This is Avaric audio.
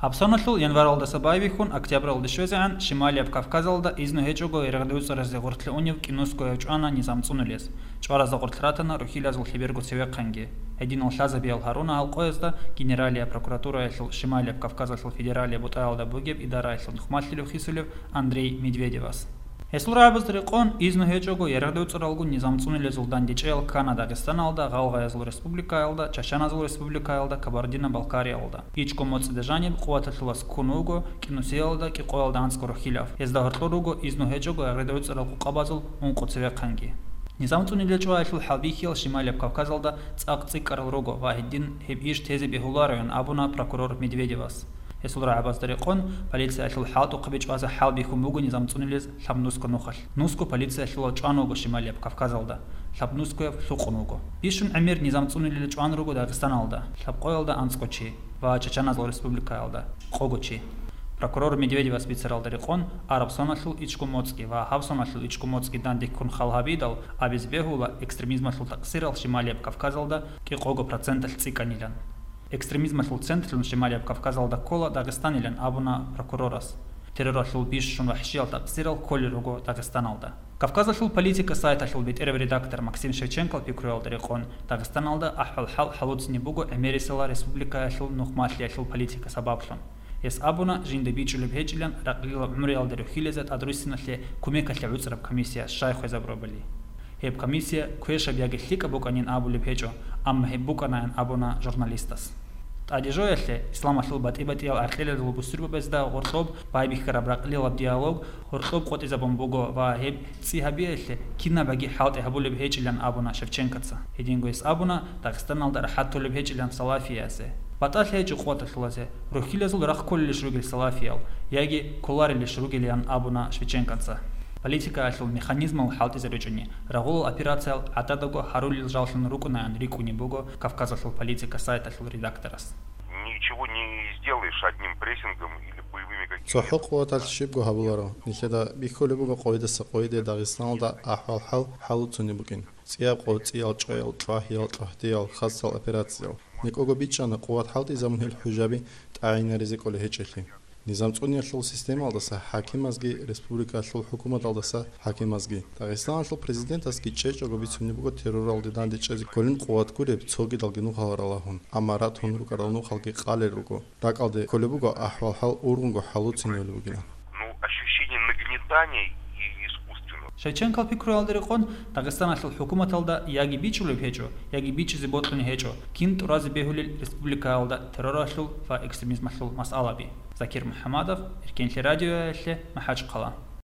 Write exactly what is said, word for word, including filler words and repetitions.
Гьабсоналъул январалдаса байбихьун октябралде щвезегӀан Шималияб Кавказалда изну гьечӀого ярагъдевцӀаразе гъоркье унев КӀинускоев чӀвана низам цӀунулез. ЧӀваразда гъоркь ратана рухьилазул лъеберго цевехъанги. Гьединал лъазабиял гьаруна гьал къоязда Генералияб прокуратураялъул Шималияб Кавказалъул федералияб бутӀаялда бугеб идараялъул нухмалъилев хисулев Андрей Медведевас. Гьесул рагӀабазда рекъон, изну гьечӀого ярагъдевцӀаралгун низам цӀунулезул дандечӀеял ккана Дагъистаналда, Гъалгъаязул республикаялда, Чачаназул республикаялда, Кабардино-Балкариялда. ИчӀго моцӀида жаниб къуваталъулас ккун вуго КӀинусиялда кӀикъоялда анцӀго рухьилав. Гьезда гьоркьор руго изну гьечӀого ярагъдевцӀарал къукъабазул ункъо цевехъанги. Низам цӀунулел чӀваялъул хӀалбихьиял Шималияб Кавказалда цӀакъ цӀикӀкӀарал руго ва гьедин гьеб иш тезе бегьулароян абуна прокурор Медведевас. Гьесул рагӀабазда рекъон, полициялъул хӀалтӀухъаби чӀвазе хӀалбихьун буго низам цӀунулез Лъабнуско нухалъ. Нуско полициялъулал чӀван вуго Шималияб Кавказалда, Лъабнускояв лъукъун вуго. Бищун гӀемер низам цӀунулел чӀван руго Дагъистаналда, лъабкъоялда анцӀго чи, ва Чачаназул республикаялда, къого чи. Прокурор Медведевас бицаралда рекъон, араб соналъул ичӀго моцӀги ва гьаб соналъул ичӀго моцӀги данде ккун хал гьабидал, абизе бегьула, экстремизмалъул такъсирал Шималияб Кавказалда кӀикъого проценталъ цӀикӀкӀанилан. Экстремизмалъул центрлъун Шималияб Кавказалда ккола Дагъистанилан абуна прокурорас. Терроралъул бищун вахӀшиял такъсирал кколел руго Дагъистаналда. Кавказалъул политика сайталъул бетӀерав редактор Максим Шевченкол пикруялда рекъон, Дагъистаналда ахӀвал-хӀал хӀалуцинеб буго гӀемерисела республикаялъул нухмалъиялъул политика сабаблъун. Гьес абуна, жинда бичӀчӀулеб гьечӀилан ракълила гӀумруялда рухьилазе тӀадруссиналъе кумекалъе гӀуцӀараб комиссия щай хвезабурабали. Гьеб комиссия квешаб яги лъикӀаб букӀанин абулеб гьечӀо, амма гьеб букӀанаян абуна журналистас. ТӀаде жоялъе, исламалъул батӀи-батӀиял гӀаркьилазул бусурбабазда гъоркьоб байбихьараб ракълилаб диалог гъоркьоб къотӀизабун буго ва гьеб цӀи гьабиялъе кинабаги хӀалтӀи гьабулеб гьечӀилан абуна Шевченкоца. Гьединго гьес абуна, Дагъистаналда рахӀат толеб гьечӀилан салафиясе. БатӀалъи гьечӀо къотӀалъулазе, рухьилазул рахъ кколелищ ругел салафиял, яги кколарелищ ругелиян абуна Шевченкоца. Политикаялъул механизмал хӀалтӀизаричӀони, рагъулал операциял гӀададабго гьарулел жаллъун рукӀунаян рикӀкӀунеб буго Кавказалъул политика сайталъул редакторас. Ничего не сделаешь одним прессингом или боевыми какими-то. ЦохӀо къуваталъ щибго гьабуларо. Нилъеда бихьулеб буго къойидаса къойиде Дагъистаналда ахӀвал-хӀал хӀалуцунеб букӀин. ЦӀияб къо, цӀиял чӀваял, чӀвагьиял, чӀвагьдиял, хасал операциял. НекӀого бичӀчӀана къуват хӀалтӀизабун гьел хӀужаби тӀагӀинаризе кӀолей гьечӀелъи. Низам цӀуниялъул системалдаса хӀакимазги, республикалъул хӀукуматалдаса хӀакимазги. Дагъистаналъул президентасги чӀечӀого бицунеб буго терроралде дандечӀезе кколин къуват гуреб цогидалги нухал ралагьун, амма ратун рукӀарал нухалги къалел руго. РакӀалде кколеб буго ахӀвал-хӀал ургъунго хӀалуциневали бугилан. Ну, ощущение нагнетания и искусственного. Шевченкол пикруялда рекъон, Дагъистаналъул хӀукуматалда яги бичӀчӀулеб гьечӀо, яги бичӀчӀизе бокьун гьечӀо, кин тӀуразе бегьулел республикаялда терроралъул ва экстремизмалъул масъалаби. Закир МухӀамадов, Эркенлъи радиоялъе, МахӀачхъала.